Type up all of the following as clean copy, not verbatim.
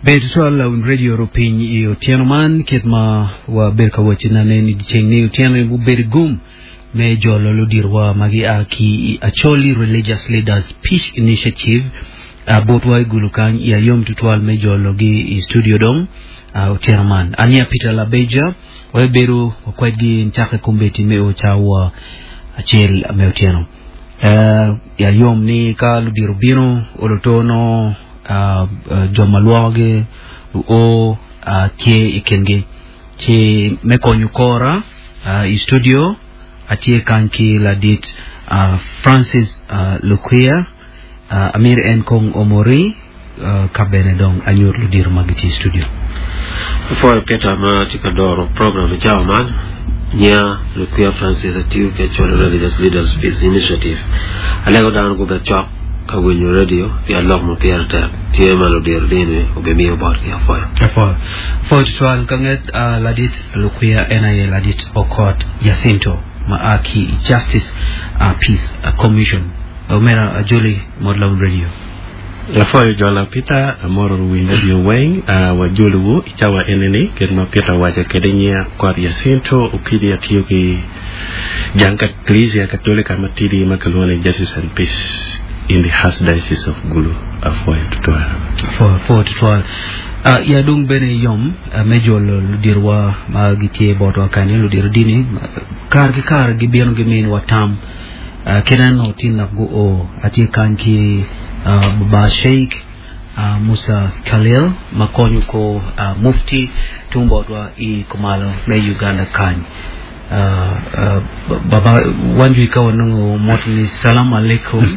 Ber tutwal lawiny radio rupiny i otyeno man kit ma wabedo ka waco nane ni dyeceng ni otyeno ni gubedo gum me jolo ludirwa ma gia ki i Acholi Religious Leaders Peace Initiative uh, botwa i Gulu kany i ayom tutwal me jologi i studio dong uh, otyeno man. Ania Peter Labeja wabedo wakwedgi ncake kombeddi me o cawa acel me otyeno. Uh, i ayom ni ka ludiro bino oloto no uh, uh, jo ma lwokogi luo uh, tye i kingi ci me konyo kora uh, i studio atye kany ki ladit uh, Francis uh, Lukwiya uh, amir en kong omori uh, ka bene dong anyut ludiro ma gitye i studio. Apwoyo Peter ma tye ka doro program i cawa man. Nyinga Lukwiya Francis atiyo ki Acholi Religious Leaders Peace Initiative. Alego dano gubed cok ka winyo radio pien lok ma pire tek tye ma ludiro dini obimiyo botgi. Apwoyo. Apwoyo. Apwoyo tutwal ka nget uh, ladit Lukwiya en aye ladit Okot Jacinto ma a ki i Justice uh, Peace Commission. Omera Ajoli Mot Lawin Radio. Apwoyo jola Peter, amoro luwiny radio weng, wajolowu i cawa eni-ni, kit ma Peter owaco kwede nyinga Okot Jacinto Okidi atiyo ki jang Kilicia Katolika matidi ma kilwongo ni Justice and Peace in the Archdiocese of Gulu. Apwoyo tutwal. Apwoyo, apwoyo tutwal. Uh, ya dong bene yom uh, me jolo ludirwa ma gitye botwa kany, ludiro dini, kare ki kare gibino giminiwa tam. Uh, kit eno tin dok guo atye kany ki uh, Baba Sheikh uh, Musa Khalil ma konyo ko uh, mufti tung botwa i kumalo me Uganda kany. Uh, uh, baba wanjui ka wanongo mot ni salam alaikum.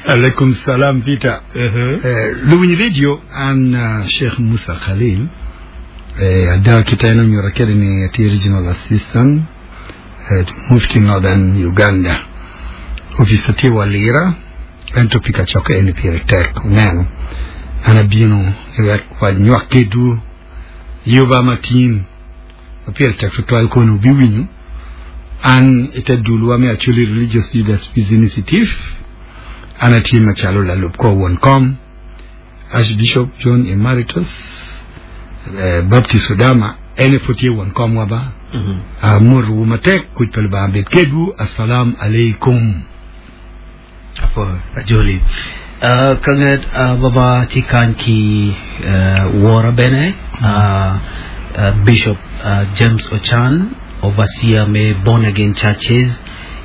Alaikum salam Peter. Uh-huh. Eh, luwiny radio an uh, Sheikh Musa Khalil eh, ada kita en onyuta kede ni atye regional assistant eh, Mufti Northern Uganda. Office tye wa lira ento pi kacokke eni pire tek oneno an abino wek wanywak kedwu Yuba ma tin ma pire tek tutwal kono wubiwinyo an i te dulwa me Acholi Religious Leaders Peace Initiative. An atye macalo lalub kor won kom, Archbishop John Emeritus eh, Baptist Odama, en aye pud tye won komwa ba. Amotowu matek, kuc pa Lubanga bed kedwu, Assalam Aleikum. Apo Ajoli. Uh, ka nget uh, baba tye kany ki uh, wora bene uh, uh, Bishop uh, James Ochan overseer me Born Again Churches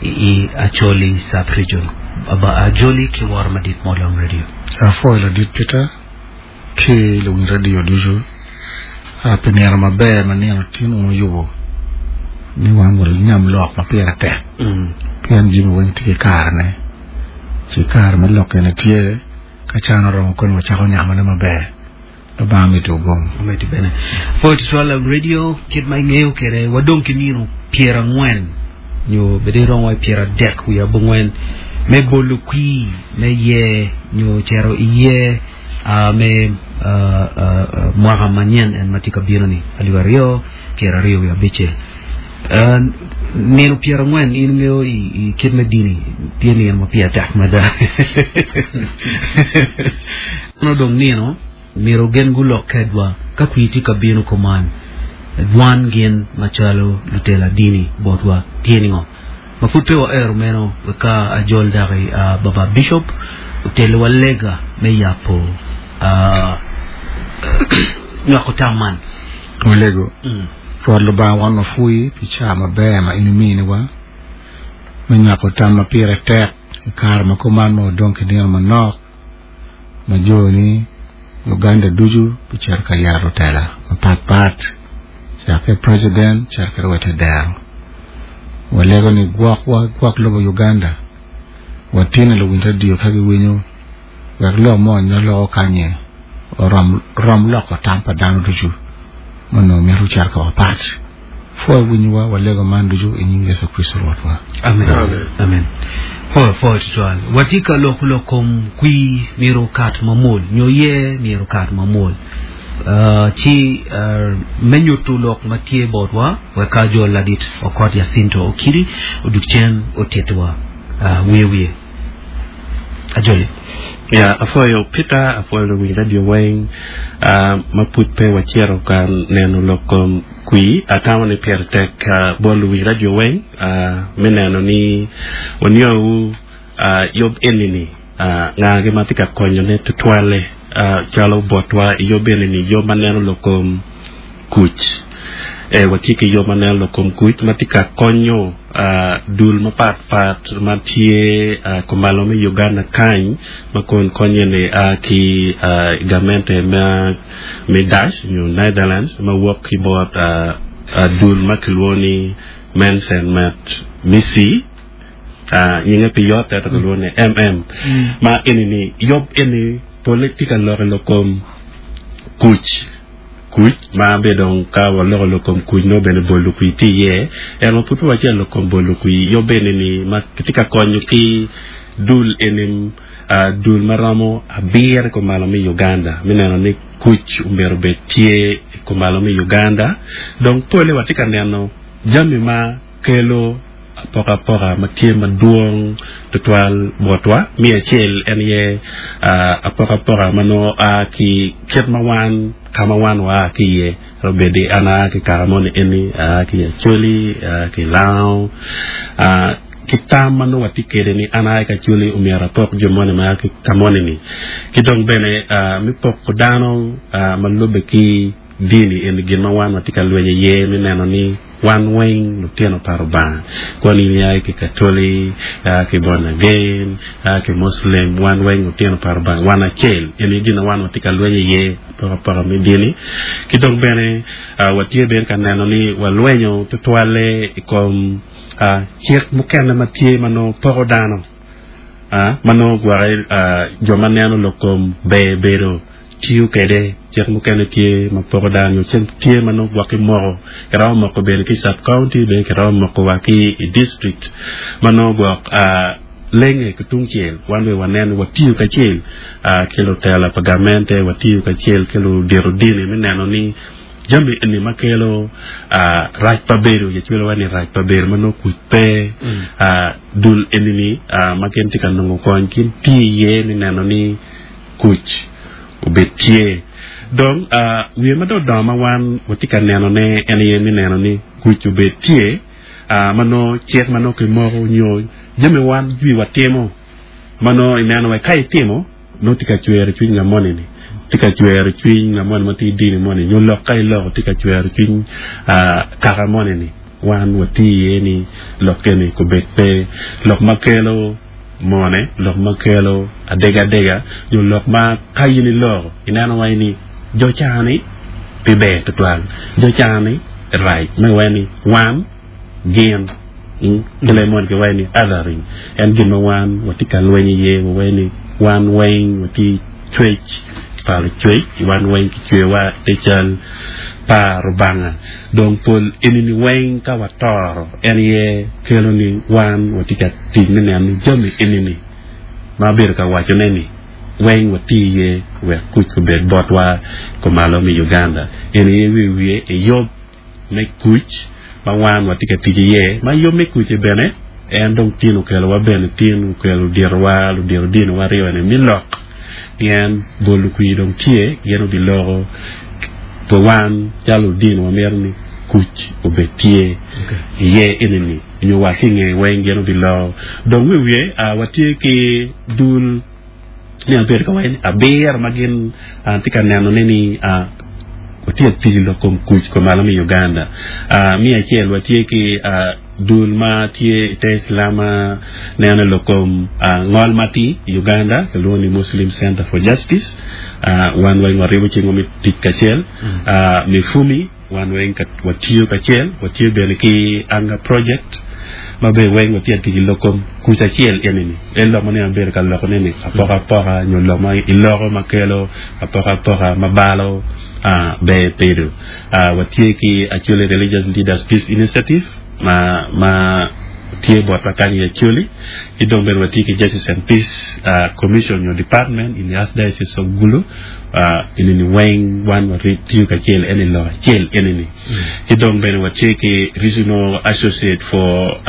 i, i Acholi sub-region. Baba Ajoli ki wora madit Modong Radio. Apwoyo ladit Peter ki luwiny radio ducu pi nino maber ma nino tin wun wuyubo ni wan wanyam lok ma pire tek pien jami weng tye ki karene ci kare me lok eni tye ka can oromo koni wacako nyamone maber Lubanga miti ogom. Omiti bene. Pwoyo tutwal la radio kit ma ingeyo kwede wadong ki nino pyerangwen nyo bed iromo i pyeradek wiye abongwen me bolo kwir me ye nyo cito iye me mwaka manyen en ma tye ka bino-ni, alip aryo pyeraryo wiye abicel. Nino pyerangwen in ingeyo i kit me dini tye nino ma pire tek mada. Meno dong nino myero gin gulok kedwa ka kwir tye ka bino kuman. Dwan gin macalo lutela dini botwa tye ningo? Ma pud pe waero meno, wek ka ajol daki Baba Bishop otelliwa lega me yabo nywako tam man. Walego, Rwot Lubanga wan wapwoyi pi caa maber ma in iminiwa me nywako tam ma pire tek i kare ma kuman ma wadong ki nino manok ma joni Uganda ducu bicito ka yero lutela mapat pat cakke president cito kede wa ite dero. Walego ni gwokwa gwok lobo Uganda watine luwiny radio ka giwinyo wek lok mo nyo loko kanye orom rom loko tam pa dano ducu ma onongo mito cito ka mapat. Pwoyo winyowa walego man ducu i nying Yecu Kricito Rwotwa. Amen. Amen. Pwoyo, pwoyo tutwal. Watye ka loko lok kom kwir myero okat mamwol nyo ye myero okat mamwol. Uh, ci uh, me nyuto lok ma tye botwa wek ka jo ladit Okot Jacinto Okidi odug cen otitwa uh, wiye wiye. Ajoli. Ya, apwoyo Peter, apwoyo luwiny radio weng ma pud pe wacito ka neno lok kom kwir. Atamo ni pire tek bot luwiny radio weng me neno ni waniowu yub eni-ni ngagi ma tye ka konyone tutwalle calo botwa i yub eni-ni, yub ma neno lok kom kuc. Ee, watye ki yub ma neno lok kom kuc ma tye ka konyo dul mapat pat ma tye kumalo me Uganda kany ma kun konye ni a ki i gamente me Dutch nyo Netherlands ma wok ki bot dul ma kilwongo ni Mensen met Missie nyinge pe yot ento kilwongo ni MM ma eni ni yub eni pole tye ka lok i lok kom kuc. Kuc ma be dong ka waloko lok kom kuc nongo bene bolo kwir tye iye. Ento ma pud pe wacito lok kom bolo kwir, yub eni ni ma kitye ka konyo ki dul eni dul ma romo abiro i kumalo me Uganda me neno ni kuc omyero obed tye i kumalo me Uganda. Dong pole watye ka neno jami ma kelo apokapoka ma tye madwong tutwal botwa. Me acel en aye apokapoka ma nongo a ki kit ma wan ka ma wan waa ki iye. Twero bedo ni an aa ki kaka moni eni, aa ki Acholi, aa ki Lango, ki tam ma nongo watye kwede ni an aa ki Acholi omyero apok jo moni ma aa ki ka moni-ni. Ki dong bene me poko dano ma lubbe ki dini eni gin ma wan watye ka lweny iye me neno ni Wan weng lutino pa Rubanga, kwan in ia ki Katoli, ia ki Born Again, ia ki Muslim, wan weng lutino pa Rubanga, wan acel. Eni gin ma wan watye ka lweny iye, apokapoka me dini. Ki dong bene watye bene ka neno ni walwenyo tutwalle i kom cik mukene ma tye ma nongo poko dano, ma nongo gwoki jo ma neno lok kom ber bedo. Tiyo kwede. Cik mukene tye ma poko dano nyo cik tye ma nongo gwok ki moko. Kiromo moko bene ki i sub county bene kiromo moko wa ki i district ma nongo gwok lenge ki tungcel wan bene wanen ni watiyo kacel ki lutela pa gamente watiyo kacel ki ludito dini me neno ni jami eni ma kelo rac pa bedo yecwelo wa ni rac pa bedo ma nongo kuc pe dul eni ni ma gin tye ka nongo kony gin tiyo iye me neno ni kuc obed tye. Dong, wiye ma dong odongo ma wan watye ka nenone en aye me neno ni kuc obed tye, ma nongo cik ma nongo kimoko nyo jami wan jwi watimo ma nongo ineno wai ka itimo nongo tye ka cwero cwiny ngat moni-ni, tye ka cwero cwiny ngat moni ma tye i dini moni nyo lok ka iloko tye ka cwero cwiny kaka moni-ni. Wan watye iye ni lok eni kobed pe lok ma kelo mone, lok ma kelo adegadega, nyo lok ma ka in iloko ineno wai ni jo ca-ni pe ber tutwal, jo ca-ni rac, me wai ni wan, gin, ki leb moni kiwaco ni othering, en gin ma wan watye ka lweny iye, wawai ni wan weng watye cwec pa Lucwec, wan weng kicweyowa i te cal pa Rubanga. Dong pol eni-ni weng ka watoro, en aye kelo ni wan watye ka tic me neno ni jami eni-ni ma abedo ka wacone-ni weng wati iye wek kuc obed botwa kumalo me Uganda. Eni aye wiye wiye i yub me kuc ma wan watye ka tic iye, ma yub me kuc-ci bene en dong tin okelowa bene tin okelo luditowa, ludito diniwa aryo-ni me lok pien bol lukwir dong tye gin obiloko pi wan calo ludini wamito ni kuc obed tye iye enini nyo wa ki inge weng gin obiloko dong wiye watye ki dul ni abedo ka waco ni abiro ma gin tye ka nenone ni watye ka tic i lok kom kuc kumalo me Uganda. Me acel watye ki dul ma tye i te Islam ma neno i lok kom ngol matir i Uganda kilwongo ni Muslim Center for Justice. Wan weng waribo cingwa me tic kacel. Mifumi Wan weng watiyo kacel, watye bene ki Anga Project ma bene weng watye ka tic i lok kom kuc acel eni-ni. En lok ma nene abedo ka lokone ni apokapoka nyo lok ma iloko ma kelo apokapoka ma balo ber bedo. Watye ki Acholi Religious Leaders Peace Initiative ma ma tye botwa kany i Acholi ki dong bene watye ki Justice and Peace Commission nyo Department in the Archdiocese of Gulu. Enini weng wan watiyo kacel en i lok acel enini. Ki dong bene watye ki Regional Associate for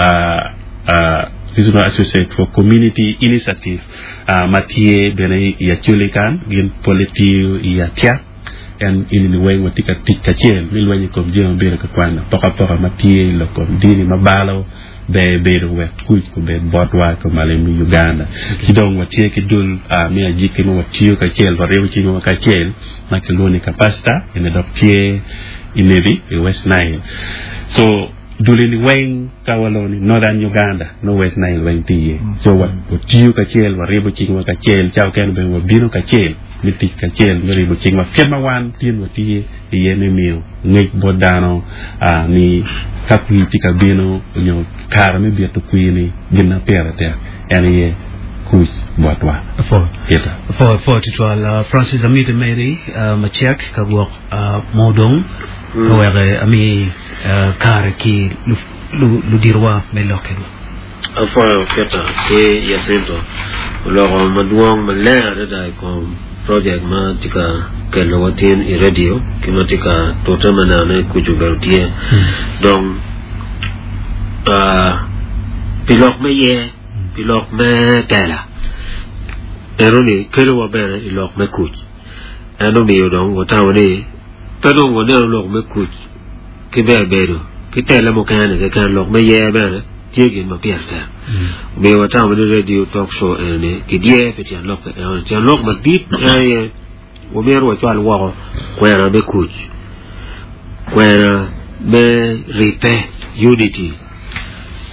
Regional Associate for Community Initiative ma tye bene i Acholi kan, gin pole tiyo i Atiak. En ini weng watye ka tic kacel me lweny i kom jami ma bedo ka kwano apokapoka ma tye i lok kom dini ma balo ber bedo wek kuc obed botwa kumalo i Uganda. Ci dong watye ki dul me ajiki ma watiyo kacel, waribo cwinywa kacel ma kilwongo ni Kapacita, eni dok tye i Nebi i West Nile. So dul eni weng ka waloko ni Northern Uganda nongo West Nile weng tye iye. So watiyo kacel, waribo cingwa kacel, ca okene bene wabino kacel me tic kacel me ribo cingwa kit ma wan tin watye iye me miyo ngec bot dano ni ka kwir tye ka bino nyo kare me bito kwir-ni gin ma pire tek en aye kuc botwa. Peter. Pwo tutwal Francis amiti meri macek ka gwok mo odong ka wek ami kare ki ludirwa me lok kedwa. Apwoyo Peter ki Jacinto oloko madwong maleng adada i kom project ma tye ka kelo wa tin i radio ki ma tye ka tute me neno ni kuc obedo tye. Dong pi lok me ye, pi lok me tela eno-ni kelo wa bene i lok me kuc. En omiyo dong watamo ni pe dong waneno lok me kuc ki ber bedo ki tele mukene-ni keken, lok me yer bene tye gin ma pire tek. Omiyo watamo ni radio talk show eni kidyer pi tyen lok enoni. Tyen lok madit en aye wamyero wacwal woko kwena me kuc, kwena me ribbe, unity,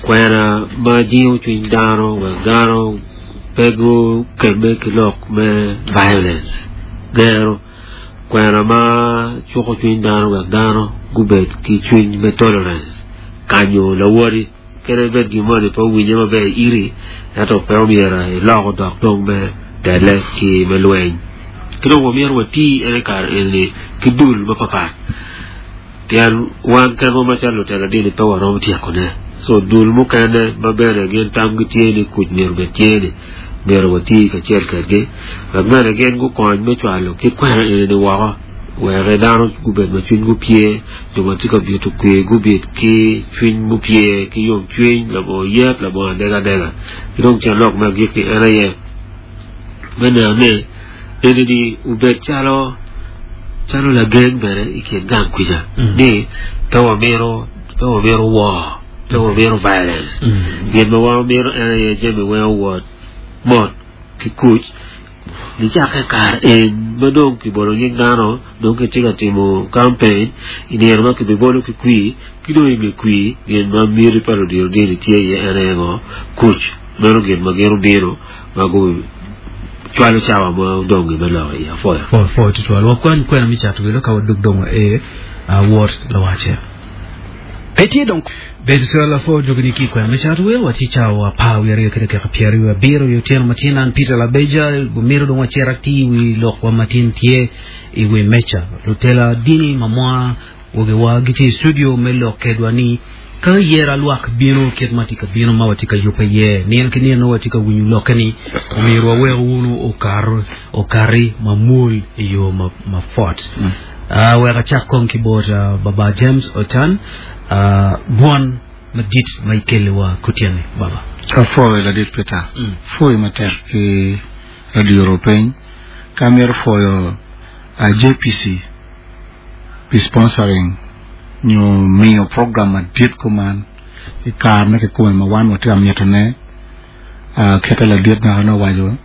kwena ma jingo cwiny dano wek dano pe gukemme ki lok me violence, gero. Kwena ma cuko cwiny dano wek dano gubed ki cwiny me tolerance, kanyo lawoti kadi bed gin moni pe owinye maber iri ento pe omyero ilok odok dong me tele ki me lweny. Ki dong wamyero wati en i kare eni ki dul mapapat pien wan kenwa macalo lutela dini pe waromo tyekone. So dul mukene ma bene gin tamgi tye ni kuc myero obed tye ni myero wati kacel kedgi wek bene gin gukony me cwalo kit kwena eni-ni woko wek dano gubed ma cwinygi opye, jo ma tye ka bito kwir gubit ki cwiny mupye ki yomcwiny labongo yet labongo adegadega. Ki dong tyen lok me agikki en aye me neno ni eni-ni obed calo calo lagen bene i kin gang kwica ni pe wamito pe wamito war. Pe wamito violence. Gin ma wan wamito en aye jami weng owot mot ki kuc nicakke i kare en ma dong kibolo nying dano dong kitye ka timo campaign i nino ma kibibolo ki kwir ki dong i nge kwir gin ma miti pa ludito dini tye iye en aye ngo? Kuc. Meno gin ma gin obino ma gucwalo cawa ma odong-gi me lok iye. Apwoyo. Pwoyo tutwal. Wakwany kwena me cato wilo ka wadug dong wa ee wot lawace. Pe tye dong. Bedo calo lapwod jogi ni ki kwena me cato wil, watye cawa 12 ki dakika 27 i otyeno matin. An Peter Labeja, wamito dong wacit atir i wi lokwa matin tye i wi meca. Lutela dini ma mwa wagiwa gitye i studio me lok kedwa ni ka yera lwak bino kit ma tye ka bino ma watye ka yubbe iye nino ki nino nongo watye ka winyo lokke ni omyero wawek wunu okar okari mamwol i yo ma mapwot. Wek acak kong ki bot Baba James Otan, gwon madit ma ikeliwa kutyeni, Baba. Apwoyo ladit Peter. Pwoyo matek ki radio Rupiny. Ka amito pwoyo JPC pi sponsoring nyo miyo program madit kuman i kare me kikome ma wan watye ka mitone kite ladit maka nongo owaco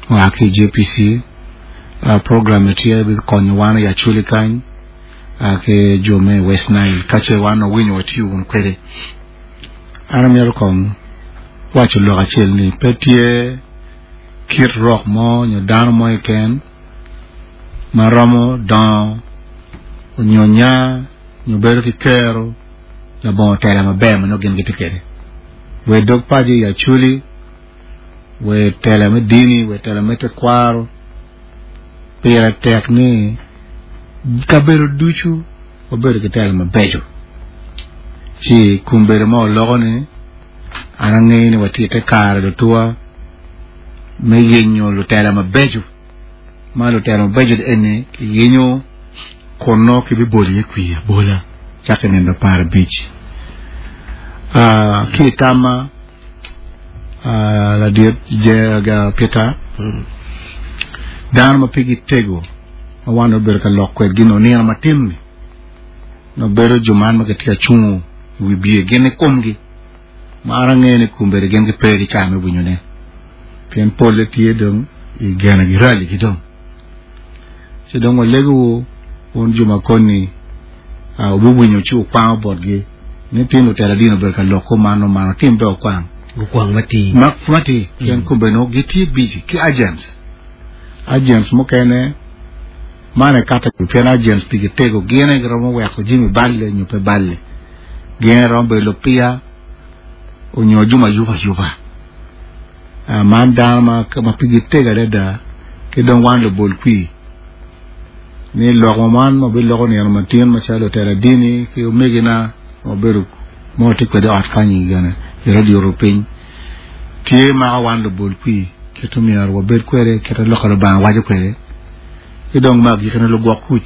oa ki i JPC Program ni tye bikonyo wan i Acholi kany ki jo me West Nile ka ce wan wawinyo watiyo wunu kwede. An amito kong waco lok acel ni pe tye kit rok mo nyo dano mo keken ma romo dongo nyo nya nyo bedo ki kero labongo tela maber ma nongo gin gitye kwede. Wer dog paco i Acholi wer tela me dini, wer tela me tekwaro, pire tek ni kabedo ducu wabedo ki tela mabeco. Ci kom bedo ma oloko ni an angeyo ni watye i te kare lutuwa me yenyo lutela mabeco ma lutela mabeco eni kiyenyo kun nongo kibibolo iye kwir abola cakke i nino 15 ki i tamma. Ladit Peter, dano ma pigi tego ma wan obedo ka lok kwedgi nongo nino matin-ni nongo bedo jo man ma gitye ka cungo i wi bye gin i komgi ma an angeyo ni kombeddi gin gipe ki cawa me winyone pien polle tye dong i genegi raligi dong. Ci dong walegowu wun jo ma koni wubiwinyo ci wukwango botgi ni tin lutela dini obedo ka lok kuman omano tim be okwang. Gukwang matir. Ma matir pien kombeddi nongo gitye busy ki agents. Agents mukene man ekato pien agents pigi tego gin aye giromo weko jami balle nyo pe balle. Gin aye romo bedo lupiya onyo jo ma yubo ayuba. Man dano ma pigi tego adada ki dong wan lubol kwir ni lok ma man ma biloko nino matin macalo lutela dini ki omegina ma obedo ma watye kwede i ot kany i radio rupiny tye mako wan lubol kwir kit myero wabed kwede kit lok pa Lubanga waco kwede ki dong me agikine lugwok kuc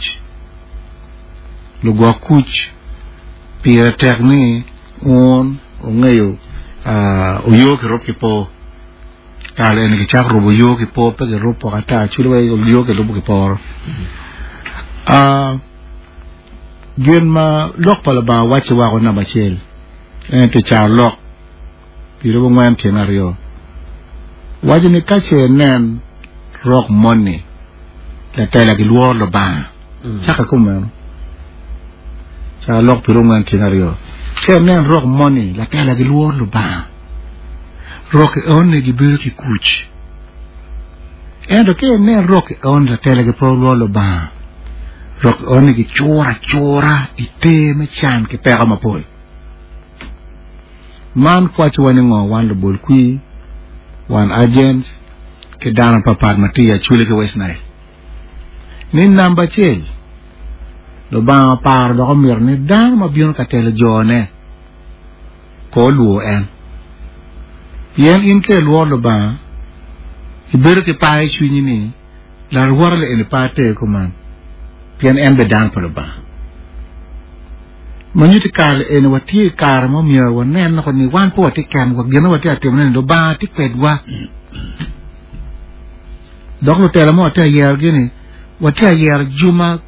lugwok kuc pire tek ni Wun wungeyo oyoo kirub ki po. Kare eni kicako rubo oyoo ki po, pe girubo pok ata, cwalo wa oyoo kilubo ki poro. Gin ma lok pa Lubanga wacci wako namba acel, en tye carolok pirubo ngwen tyen aryo. Waco ni ka ce inen rok moni latela gilworo Lubanga. Caka kumeno, carolok pirungwen tyen aryo. Ka inen rok moni latela gilworo Lubanga, rok eoni gibedo ki kuc. Ento ka inen rok eoni latela gipe lworo Lubanga, rok eoni gicuro acura i ter me can ki peko mapol. Man kwacowa ni ngo wan lubol kwir, wan agents, ki dano papat ma tye i Acholi ki West Nile? Ni namba acel, Lubanga oparo dok omito ni dano ma bino ka telo jone ko olwor en. Pien in ka ilworo Lubanga, ibedo ki par i cwinyi ni larwote li eni pe ater kuman, pien en bene dano pa Lubanga. Ma nyuto i kare eni watye i kare ma omyero wanen loko ni wan pe watye kenwa, gin ma watye ka timone ni Lubanga tye kwedwa. Dok lutela mo watye ka yerogi-ni, watye ka yero jo ma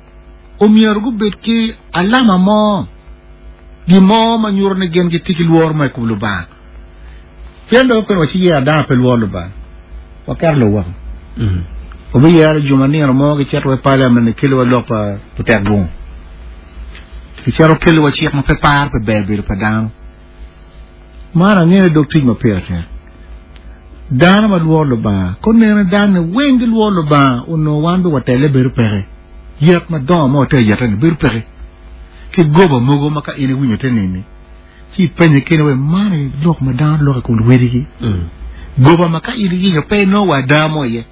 omyero gubed ki alama mo, gin mo ma nyuto ni gin gitye ki lworo mo i kom Lubanga. Pien dong koni waciyero dano pe lworo Lubanga, waketo lobo woko. Wabiyero jo ma nino mo gicito wa i paliament gikeliwa lok pa lutek gungu, gicito keliwa cik ma pe paro pi ber bedo pa dano. Man angeyo dog tic ma pire tek. Dano ma lworo Lubanga, ka oneno dano-ni weng gilworo Lubanga, onongo wan bene watelle bedo peke. Yet madongo ma watye ka yete-ni bedo peke. Ki goba mogo ma ka in iwinyo te nini, ci ipenye keni wai man aye lok ma dano loko i kom luwedigi. Goba ma ka in iyinyo pe inongo wa ada mo iye.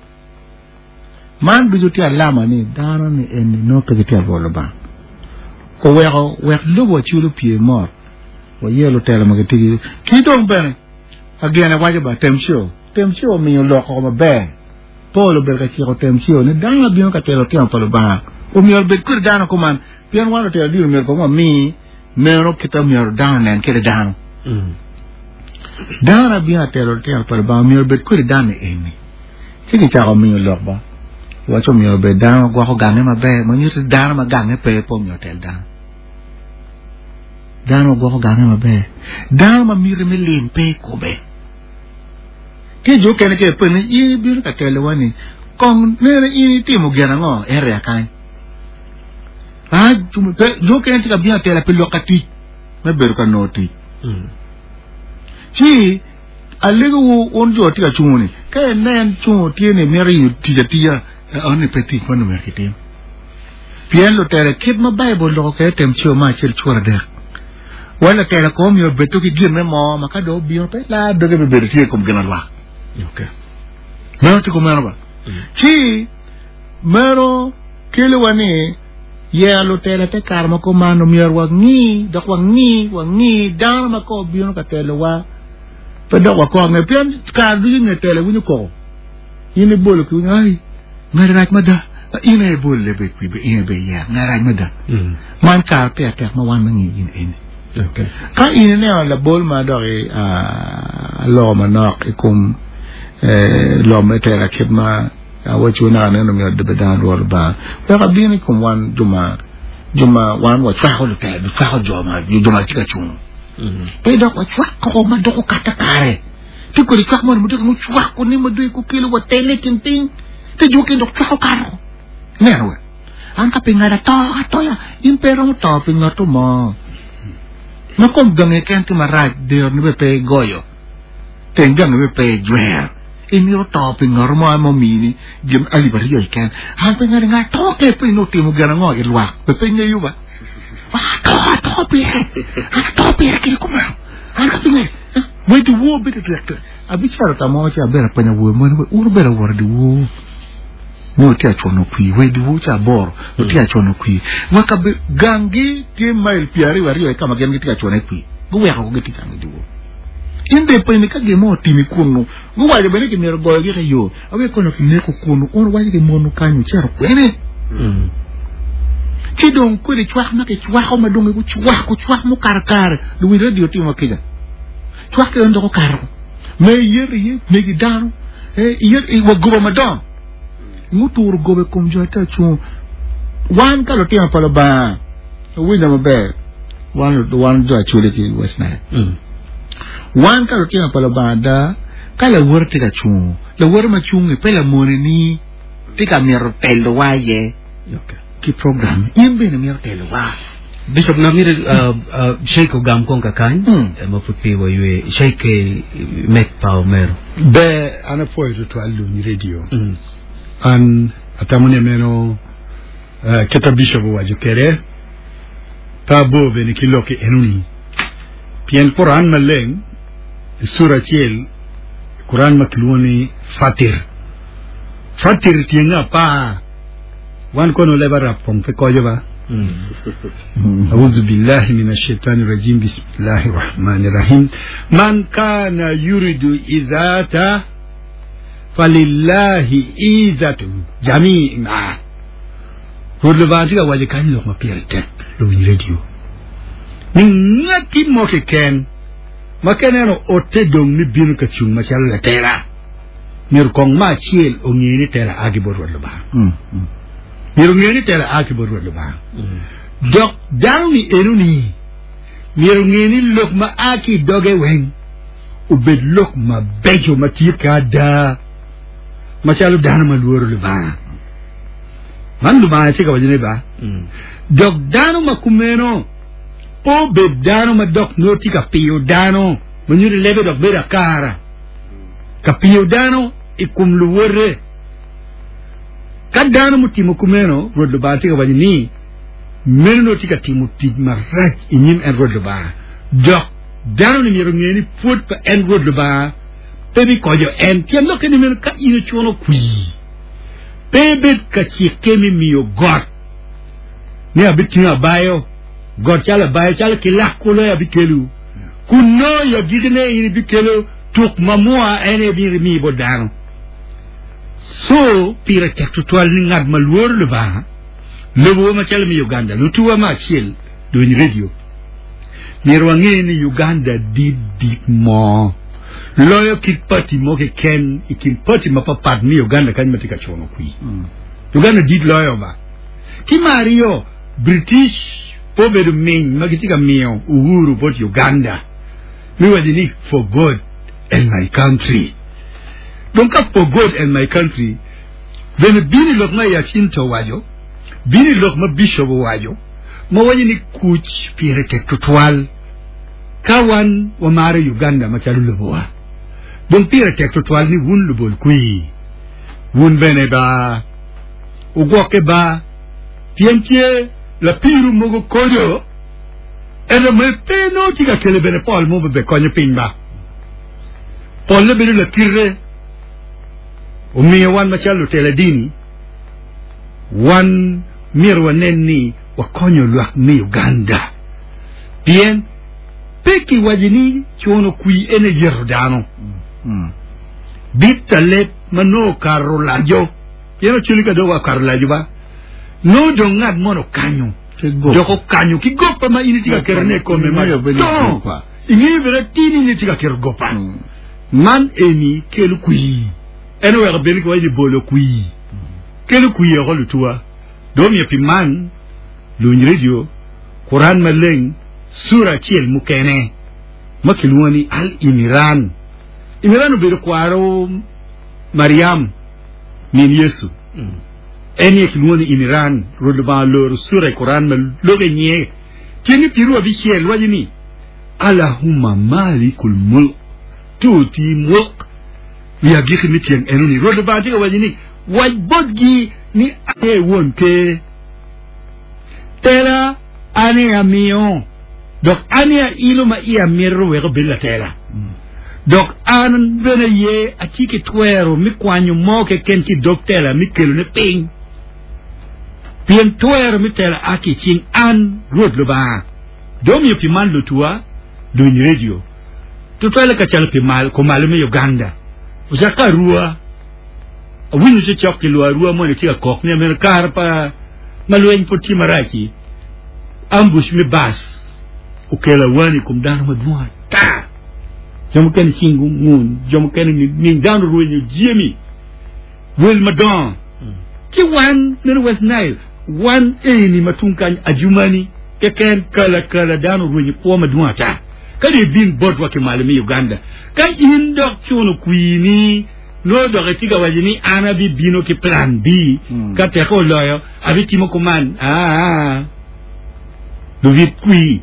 Man ducu tye alama ni dano ni eni nongo pe gitye ka lworo Lubanga. Oweko wek lobo wacul opye mot, waye lutela ma gitye ki ki dong bene agene waco ba Temceo. Temceo omiyo lok oko maber. Paul obedo ka ciko Temceo ni dano ma bino ka telo litino pa Lubanga omyero obed kwede dano kuman, pien wan lutela dini omyero kong wami meno kit ma myero dano onen kwede dano. Dano ma bino ka telo litino pa Lubanga omyero obed kwede dano eni. Ci kicako miyo lok ba iwaco myero obed dano ma gwoko gange maber, ma nyuto ni dano ma gange pe pe omyero otel dano. Dano ma gwoko gange maber, dano ma miti me lim pe i kome. Tye jo okene ka ipenyo ni in ibino ka telowa ni kong nene in itimo gin ango area kany. Ah, jo okene tye ka bino atela pi lok ka tic me bedo ka nongo tic. Ci Alegowu wun jo atye ka cungo-ni, ka inen cungo tye ni imito yenyo tic atiya, enoni pe tic ma nongo myero kitim. Pien lutela kit ma Baibul loko kwede Temceo me acel cura adek, wa latela kong myero obed to ki ginne mo ma ka dong obino pe laa doge bibedo tye i kom gin alwak. Okay. Meno tye kumeno ba? Ci meno keliwa ni yero lutela te kare ma kuman omyero wangi dok wangi wangi dano ma ka obino ka telowa Pe dok wakok nge, pien kare ducu i nge telo iwinyo koko. In ibolo ki winyo, ai, ngati rac mada. In aye ibolo lebe kwi, in aye iyer, ngati rac mada. Man kare pire tek ma wan me ngiyo gin eni. Ka in ineno labol ma doki aloko manok i kom lok me tela kit ma awaco naka neno myero bed dano lworo Lubanga, wek abin i kom wan jo ma jo ma wan wacwako lutela, wacwako jo ma jo ma tye ka cung. Pe dok wacwako ma dok okato kare. Tye kodi cwak moni ma dok mucwako ni ma dong kukelo watele i kin piny, te jo mukene dok cwako kato. Ineno we? An ka pi ngat ato atoya, in pe iromo to pi ngatto mo. Ma kom gangi keken tye marac, deroni bene pe igoyo, teng gangi bene pe ijwero. Imito to pi ngatto mo ma omini gin alip aryo keken. An pe ngati ngat to ke pe in otimo gin ango i lwak, be pe ingeyo ba. Ato ato pire, an ato pire kede kumeno. An ka pi ngati, wai dyewor bedo twek twek. Abicito ka mo ci abedo apenyo awobe moni, wun wubedo awot dyewor? Ni watye ka cwano kwir, wa i dyewor ca aboro, watye ka cwano kwir. Wa kabe ganggi tye mail pyeraryo aryo i ka ma gin gitye ka cwano iye kwir. Guweko ko gitye gang i dyewor. In dong ipenyo ni ka gin mo otimi kunnu, guwaco bene ni kimito goyogi ki yo, awe kono kineko kunnu, un wuwaco ki monwu kany wucito kwene? Ci dong kwede cwak ma kicwako ma dong gucwako cwak mukato kare, luwiny redio timo kica. Cwak ki en dok okato. Me iyet iye negi dano, iyet wa goba madongo. Nguturo goba i kom jo ate acungo. Wan ka lutino pa Lubanga, wuwinja maber, wan, wan jo Acholi ki West Nile. Wan ka lutino pa Lubanga ada, ka lawote tye ka cungo, lawote ma cungi pe lamone ni tye ka mito telowa aye ki program, in bene mito telowa. Bishop na mito Sheikh ogam kong kakany ma pud pe waywe. Sheikh mek pa omero. Ber, an apwoyo tutwal luny radio. An atamo ni meno kita Bishop owaco kede pe abor bene ki lok enoni pien Quran maleng i sura acel Quran ma kilwongo ni Fatir. Fatir tyenge apar. Wan kono leb Arab kong pe koco ba. Auzu billahi min ashaitani rajim bismillahi rahmani rahim man kana yuridu izata falillahi izatu jami'a. Rwot Lubanga tye ka waco kany lok ma pire tek luwiny radio ni ngati mo keken ma ka ineno ote dong ni bino ka cung macalo latela Myero kong me acel onge ni tela a ki bot Rwot Lubanga. Myero onge ni tela a ki bot Rwot Lubanga. Dok dano-ni enoni myero onge ni lok ma a ki i doge weng obed lok mabeco ma tye ki ada, macalo dano ma lworo Lubanga. Man Lubanga tye ka waco ni ba. Dok dano ma kumeno pe obed dano ma dok nongo tye ka piyo dano, ma nyuto lebe dok bedo akara. ka piyo dano i kom luwote. Ka dano mutimo kumeno, Rwot Lubanga tye ka waco ni, meno nongo tye ka timo tic marac i nyim en Rwot Lubanga, dok dano-ni myero onge ni pwod pa en Rwot Lubanga pe bikoco en. Tyen lokke ni meno ka in ocuno kwir, pe ibed ka cikke me miyo got ni abitingo abayo, got calo abayo, calo kilak kulu aye abikelo, kun nongo i agikine in ibikelo Tuk mamwa en aye myero imi bot dano. Co pire tek tutwal ni ngat ma lworo Lubanga lobowa macalo me Uganda, lutuwa me acel dwony radio. Myero wange ni Uganda dit dit mo loyo kit party mo keken i kin party mapapat me Uganda kany ma tye ka cuno kwir. Uganda dit loyo ba. Ki me aryo, British pe obedo miny ma gitye ka miyo uhuru bot Uganda. Me waco ni for God and my country. Dong ka for God and my country bene bino i lok ma Yacinto owaco, bino i lok ma Bishop owaco, ma waco ni kuc pire tek tutwal ka wan wamaro Uganda macalo lobowa. Dong pire tek tutwal ni wun lubol kwir, wun bene ba wugwokke ba, pien tye lapiru mogo kodo. Ento me pe nongo tye ka kelo bene pol mo me konyo piny ba. Polle bedo lakite. Omiyo wan macalo lutela dini, wan myero wanen ni wakonyo lwak me Uganda. Pien pe kiwaco ni cuno kwir en aye yeto dano. Bit leb ma nongo okato laco, pien oculi ka dong okato laco ba, nongo dong ngat mono okanyo. Dok okanyo ki goppa ma in itye ka ketone i kome ma dongo. Ingeyo bene atir ni in itye ka keto goppa. Man eni kelo kwir. En oweko bene kiwaco ni bolo kwir. Kelo kwir oko lutuwa. Dong omiyo pi man, luwiny redio, Quran Maleng, sura acel mukene ma kilwongo ni Al-Imiran. Imiran obedo kwaro Mariam, min Yecu. En aye kilwongo ni Imiran. Rwot Lubanga oloro sura i Quran ma loko i nyinge. Tyenge piru abicel waco ni, Allahumma malikul mulk tu'ti mulk. I agikki me tyeng enoni, Rwot Lubanga tye ka waco ni, Wac botgi ni an aye won ker. Tela an aye amiyo, dok an aye ailo ma iya mito wek obed latela. Dok an bene aye atye ki twero me kwanyo mo keken ki i dog tela me kelone piny, pien twero me tela a ki i cing an Rwot Lubanga. Dong omiyo pi man lutuwa, luwiny redio, tutwalle kacalo pi kumalo me Uganda, ocakke arua. Awinyo cocok ki lwar arua moni tye ka kok ni ameno kare pa ma lweny pud tye marac-ci, ambush me bas okelo awani i kom dano madwong ata. Jo mukene cing gungun, jo mukene ning dano orwenyo jami wel madongo. Ci wan meno West Nile, wan eni ma tung kany Adjumani keken kala kala dano orwenyo kwo madwong ata. Kadi ibin botwa ki malo me Uganda, ka in dok cuno kwini Nongo dok itye ka waco ni an abibino ki plan B ka teke oloyo abitimo kuman. Aa. Lubit kwir.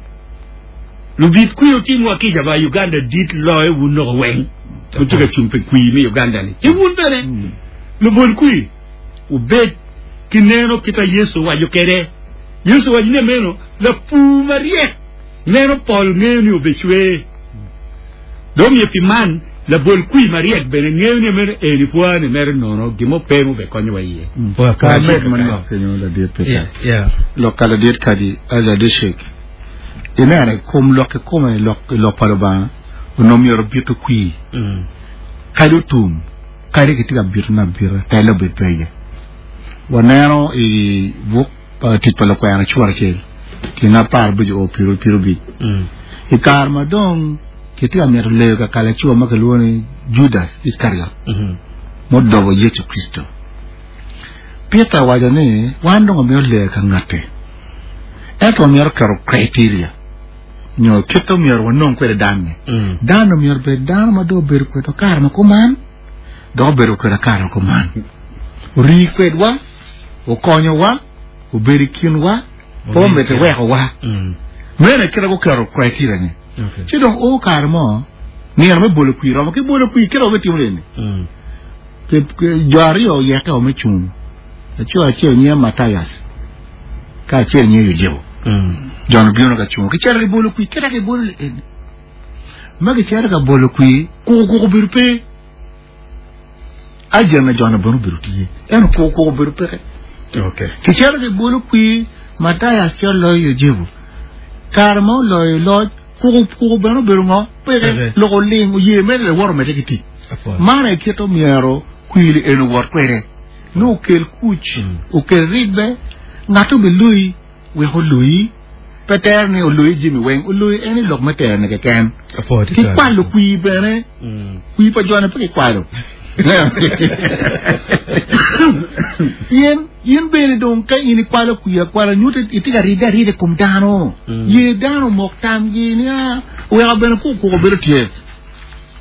Lubit kwir otim wa kica ba Uganda dit loyo wun noko weng. Wutye ka cung pi kwir me Uganda ni. Ki wun bene lubol kwir wubed ki neno kita Yecu owaco kede. Yecu owaco ni meno lapur maryek neno pol ngeyo ni obecwer. Dong myero pi man, labol kwir maryek bene ngeyo ni meno eni pwani mere nono gin mo pe mube konyowa iye. Ka amed manok kenyo ladit Peter. Lok ka ladit Kadi, ladit Sheik. Ineno i kom lok kikome lok i lok pa Lubanga onongo myero obito kwir. Kadi otum, kadi kitye ka bitone abita, telle obed pe iye. Waneno i buk pa tic pa lukwena cura acel tyen 15 o 25. I kare ma dong kitye ka mito leyo ka kalacuwa ma kilwongo ni Judas Iskariot mudobo Yecu Kricito, Peter owaco ni wan dong wamito leyo ka ngatti, ento wamito keto criteria nyo kit omyero wanong kwede danne. Dano omyero obed dano ma dong obedo kwedwa kare ma kuman dok obedo kwedwa kare ma kuman, orii kwedwa, okonyowa, obedo i kinwa, pe omedde wekowa. Meno aye kite guketo criteria ni. Ci dong o kare mo, nino me bolo kwir romo ki bolo kwir kite wabitimo eni. Jo aryo oyeke o me cung. Laco acel nyinge Matayas, ka acel nyinge Yucepu. Jo-nu bino ka cungo, kicito gibolo kwir, kite gibolo eni. Ma gicito ka bolo kwir, kukukuku obedo pe. Agent na jona bene obedo tye, ento kukukuku obedo peke. Okay. Kicito gibolo kwir, Matayas ci oloyo Yucepu. Kare ma oloyo loc, kukukuku bene obedo ngo? Peke. Peke. Lok oling, oye mere lawot omedde ki tic. Apwoyo. Man aye kit omyero kwir eni owot kwede. Ni okel kuc, okel ribbe, ngat obiloyi wek oloyi. Pe tero ni oloyi jami weng, oloyi en i lok me terone keken. Apwoyo Ki tutwal. kwalo kwir bene, kwir pa jone pe kikwalo. Pien in bene dong ka in ikwalo kwir akwala nyuto itye ka ridde arida i kom dano. Ye dano omok tamgi ni a weko bene kukuku bedo tye.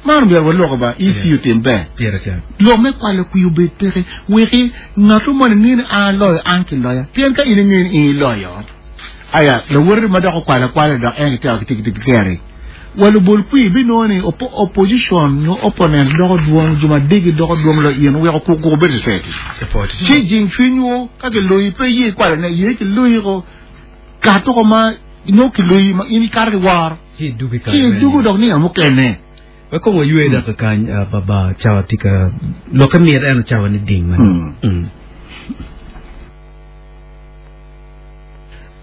Man omyero waloko ba EC otim ber. Pire tek. Lok me kwalo kwir obed peke weki ngat moni ngeyo ni an aloyo an kiloya. Pien ka in ingeyo ni in iloyo, aya lawoti ma dok okwalo akwala dok en kitero kiteri. Wa lubol kwir binongo ni opposition nyo opponent doko dwong, jo madegi doko dwong loyo in weko kukuku bedo society. Ci jing cwinywu ka kiloyi pe iye ikwalo ne ye kiloyi ko kato ko ma nongo kiloyi ma in ikato ki woro. Ci idugo i kare Ci meno. idugo dok nino mukene. Wek kong waywe dok kany, baba, cawa tye ka lokke mit ento cawa ni ding manok. Mm.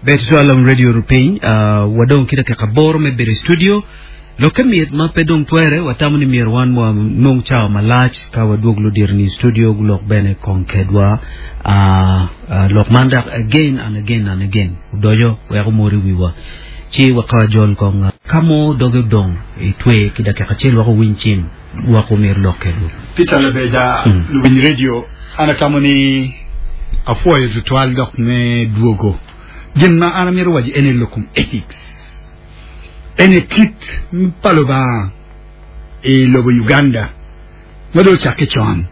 Ber tutwal lam radio rupiny, wadong ki dakika aboro me bedo i studio. Lokke mit ma pe dong twere, watamo ni myero wan wanong cawa malac ka wadwog ludito ni i studio gulok bene kong kedwa. Lok man dok again and again and again odoco wek omor i wiwa. Ci wek jol kong ka mo doge odong itwe ki dakika acel wek owiny cim wek omyero lok kedwu. Peter Labeja, luwiny radio, an atamo ni apwoyo tutwal dok me dwogo. Gin ma an amito waco ene lok kom ethics. Ene kit pa Lubanga i lobo Uganda ma dong ocakke con.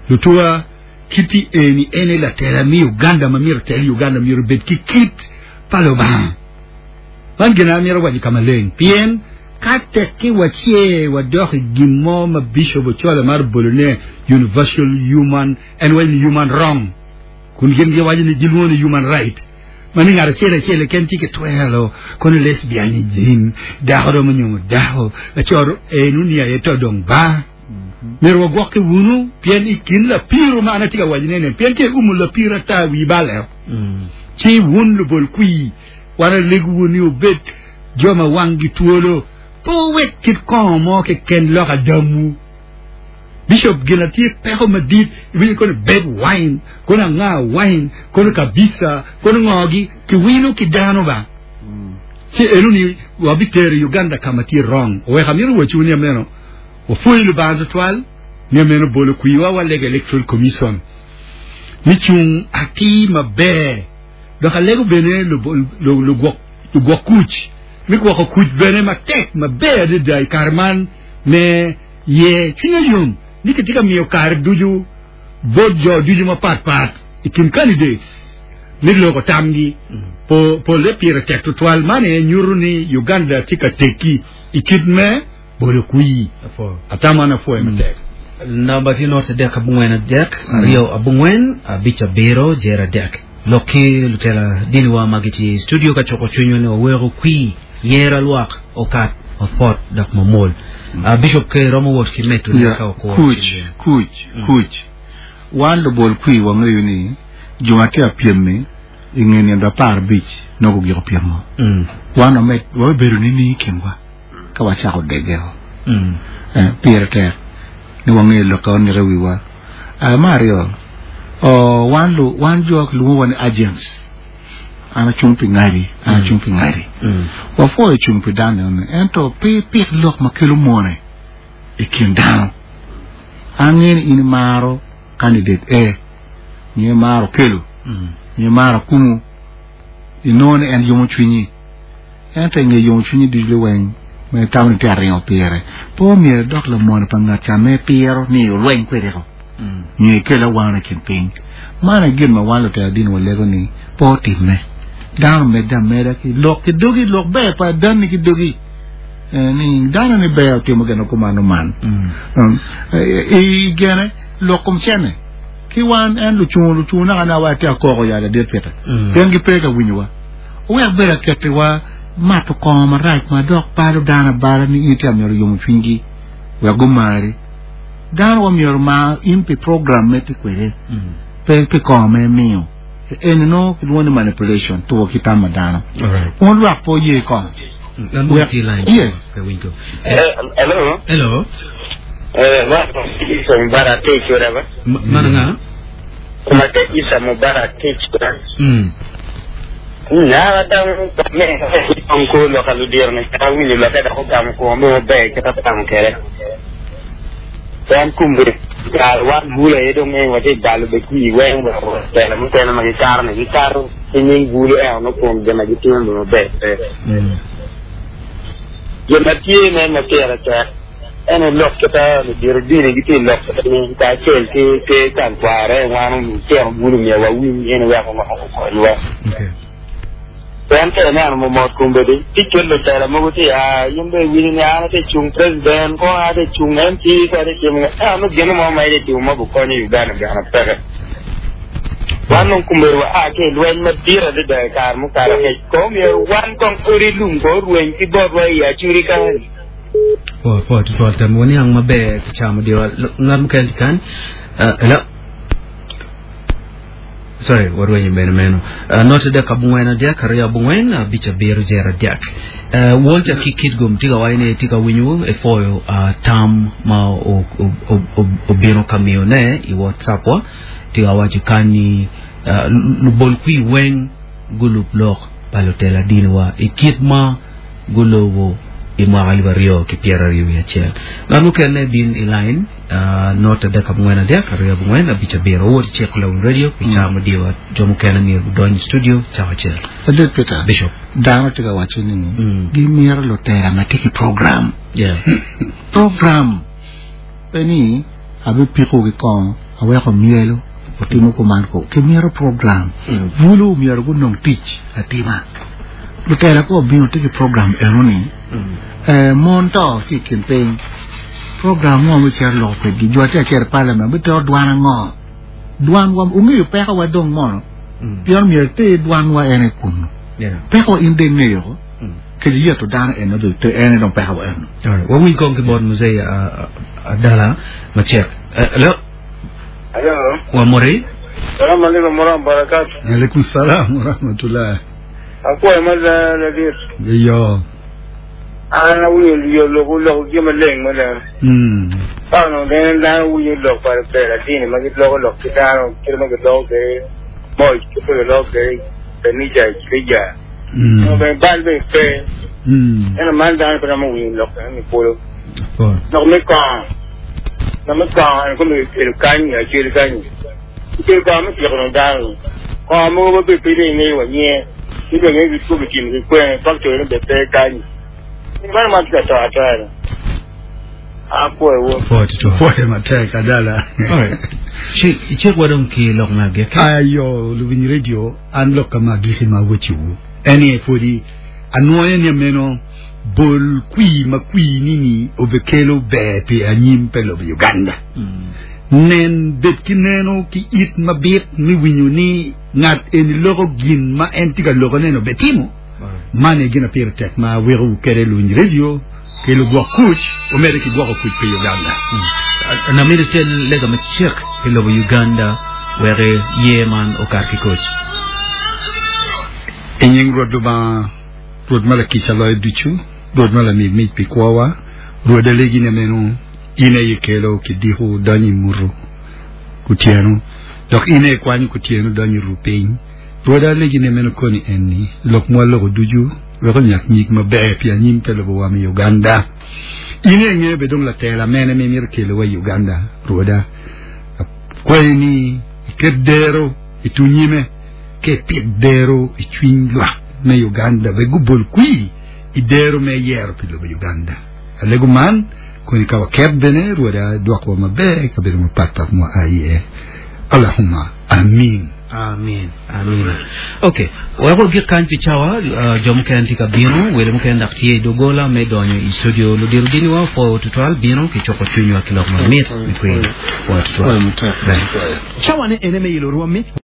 Lutuwa kiti eni ene latela me Uganda ma myero otel Uganda myero obed ki kit pa Lubanga. Man gin amito waco ka maleng pien ka tekki wace wadok i gin mo ma Bishop Ochola maro bolone universal human en waco ni human wrong kun gin giwaco ni gilwongo ni human right ma ni ngat acel acel keken tye ki twero kono lesbian ni jin dako romo nyomo dako laco enu ni aye to dong ba myero wagwokke wunu pien i kin lapiro ma an atye ka wacone ni pien ka iumo lapiro ata wi baleo ci wun lubol kwir wan alegowu ni wubed jo ma wanggi twolo pe wuwek kit kongo mo keken lok adamwu. Bishop gin atye peko madit iwinyo kono bed wine kono anga wine kono kabisa kono ngogi kiwino ki dano ba ci eno ni wabitero Uganda ka ma tye wrong oweko amito wacowu ni ameno wapwoyo Lubanga tutwal ni ameno bolo kwiwa walego electoral commission ni cung atir maber dok alego bene lugwok kuc me gwoko kuc bene matek maber adada i kare man me Ye cwinya yom ni kitye ka miyo kare ducu bot jo ducu mapat pat i kin candidates me loko tamgi. Polle pire tek tutwal. Man aye nyuto ni Uganda tye ka tekki i kit me bolo kwir. Atamo an apwoyo matek. Namba tye not adek abongwen adek aryo abongwen abic abiro jer adek. Lok ki lutela diniwa ma gitye i studio ka cuko cwinywa ni waweko kwir yero alwak okat mapot dok mamwol. Bishop Ker romo wot ki medo ne ka okwo. Kuc, kuc, kuc. Wan lubol kwir wangeyo ni jo ma tye ka pyem-mi i nge nino 15 nongo gugiko pyemo. Wan wamed, wabibedo nining i kinwa ka wacako degeo? Pire tek ni wangeyo lok ka wanike wiwa. Me aryo, wan lu, wan jo kilwongowa ni agents. An acung pi ngadi, an acung pi ngadi. Wapwoyo cung pi dano eni, ento pe ipik lok ma kelo mone i kin dano. An angeyo ni in imaro candidate A, nyo imaro Okello, nyo imaro Akumu, inongo ni en yomo cwinyi. Ento i nge yomo cwinyi ducu liweng ma itamo ni itye ka ringo pire, pe omyero idok lamone pa ngat ca ma ipiro ni olweny kwede-ko, nyo ikel awano i kin piny. Man aye gin ma wan lutela dini walego ni pe otimme. Dano omedde ameda ki lok ki dogi, lok ber pa adanni ki dogi, ni dano ni ber otimo gin ma kumano man. I gene lok kom cene ki wan en lucungo lucungo naka na wa atye akoko ya ladit Peter, pien gipe ka winyowa. Wuwek bedo akettiwa mato kongo marac ma dok balo dano abala ni in itye ka myero yomo cwinygi wek gumari. Dano wa myero omar in pi program ma itye kwede, pe pi kongo ma imiyo. Eni nongo kilwongo ni manipulation, tuko ki tam pa dano. Wun lwak pe wuye kongo. Wek, yes. Hello. Hello. Eh, ma Isa Mubarak Teach whatever. Mana nga? Mate Isa Mubarak Teach. Na dang me ko lo ka ludir ne ka winyo lo ka ko gam ko mo be ka ta tam kere. Wan kumbe kar wan bula e dong e wate balo be ki wen wa tela mo tela ma kar ne kar ni bula e no kom de ma gitimo mo be. Gin ma tye me ma pire tek en aye lok kit ludito dini gitye i lok ni kacel ki ki kan kware wan lutino bulu myero wawiny gin wek okonywa. Pien ka ineno mot kombeddi ci cal lutela mogo tye a in bene iwinyo ni an atye cung president ko an atye cung MP ko atye timo ento nongo gin mo ma itye timo ma gukonyo Uganda bene peke. Wan dong kombeddi wa a ki i lweny madit adada i kare mukato angec. Ko myero wan kong odi lum ko orweny ki botwa i Acholi kany. Po po tutwal tam waniang maber ki camo diwa ngat mukene tye kany. Hello. Sorry, warwenyo bene meno. Not adek abongwen adek aryo abongwen abic abiro jer adek. Walter ki Kitgum tye ka waco ni tye ka winyo epwoyo tam ma obino ka miyone i WhatsApp wa. Tye ka waco kany ni. Lubol kwir weng gulub lok pa lutela diniwa i kit ma gulobo i mwaka 2021. Ngat mukene bin i line not 3 4 2 4 5 7 owot i ciko Lawiny Radio pi cawa mudiwa jo mukene myero gudony i studio cawa acel. Ladit Peter, Bishop. dano tye ka waco ni gimito lutela ma tye ki program. Yeah. Program pe ni abipiko ki kongo aweko myelo otimo kuman ko kimito program. Bulu myero gunong tic atima. Lutela ko obino tye ki program eno ni mon to ki i kin piny program ngo me cito loko kwedgi jo tye acito i parliament bitero dwan ango dwan wa ungeyo peko wa dong mono pien myero iter dwan wa en i kunu peko wa in dong ingeyo ko kadi yeto dano eno dong te en dong peko wa eno. Alright, wawiny kong ki bot Muzee Adala Macek. Hello. Hello. Wa mori. Salam alaikum warahmatullahi wabarakatuh. Alaikum salam wa rahmatullah. Akwayo ma ladit. Iyo. An awinyo yo lok lok gin maleng mada. Ka onongo bene dano winyo lok pa lutela dini ma giloko lok ki dano kit ma giloko kwede moc kit ma giloko kwede kanica i kilija. Onongo bene bal bene pe. Ento man dano pe romo winyo lok eno ni kulu. Lok me kongo. Lok me kongo en kome kikelo kany nyo acel kany. Kikelo kongo me tyeko nongo dano. Kongo mogo ma bene pe dong ingeyo wa nyinge. Ci bene ngeyo gitwo kitimo ki kwene factory ne bene pe kany. Man ma tye ka to atoya ni. Apwoyo wun. Pwoyo matek adala. Alright. Ci icik wa dong ki lok me agikki. Ayo luwiny radio an lok ka ma agikki ma awecciwu en ni pwodi anwoyo ni ameno bol kwir ma kwir nini obekelo ber pi anyim pe lobo Uganda. Nen bed ki neno ki it mabit me winyo ni ngat eni loko gin ma en tye ka lokone ni obetimo. Man aye gin ma pire tek ma aweko kede luwiny radio ki lugwok kuc omedde ki gwoko kuc pi Uganda. Namito cen lega macek pi lobo Uganda wek ye man okat ki kuc. I nying Rwot Lubanga, Rwot ma lakica loyo ducu, Rwot ma lami mic pi kwowa, Rwot alegi ni meno in aye ikelo kidiko donyo i mutu kutyeno, dok in aye ikwanyo kutyeno donyo i ru piny. Rwot alegi ni meno koni en ni, lok ma waloko ducu wek onyak nyig maber pi anyim te lobowa me Uganda. In aye ingeyo bed dong latela mene ma imito kelowa i Uganda, Rwoda. Akwayi ni iket dero i tung nyime, ka ipit dero i cwiny lwak me Uganda wek gubol kwir i dero me yero pi lobo Uganda. Alego man koni ka waket bene, Rwoda, idwokwa maber i kabedo mapatpat ma waa iye. Allahumma Amin. Amin. Amin. Ok. Wek wagik kany pi cawa, jo mukene tye ka bino, wele mukene dok tye i doggola me donyo i studio. Ludito diniwa opwoyo tutwal bino ki cuko cwinywa ki lok mamit me kwir. Pwoyo tutwal. Ber. Cawane ene me yelo rwommi.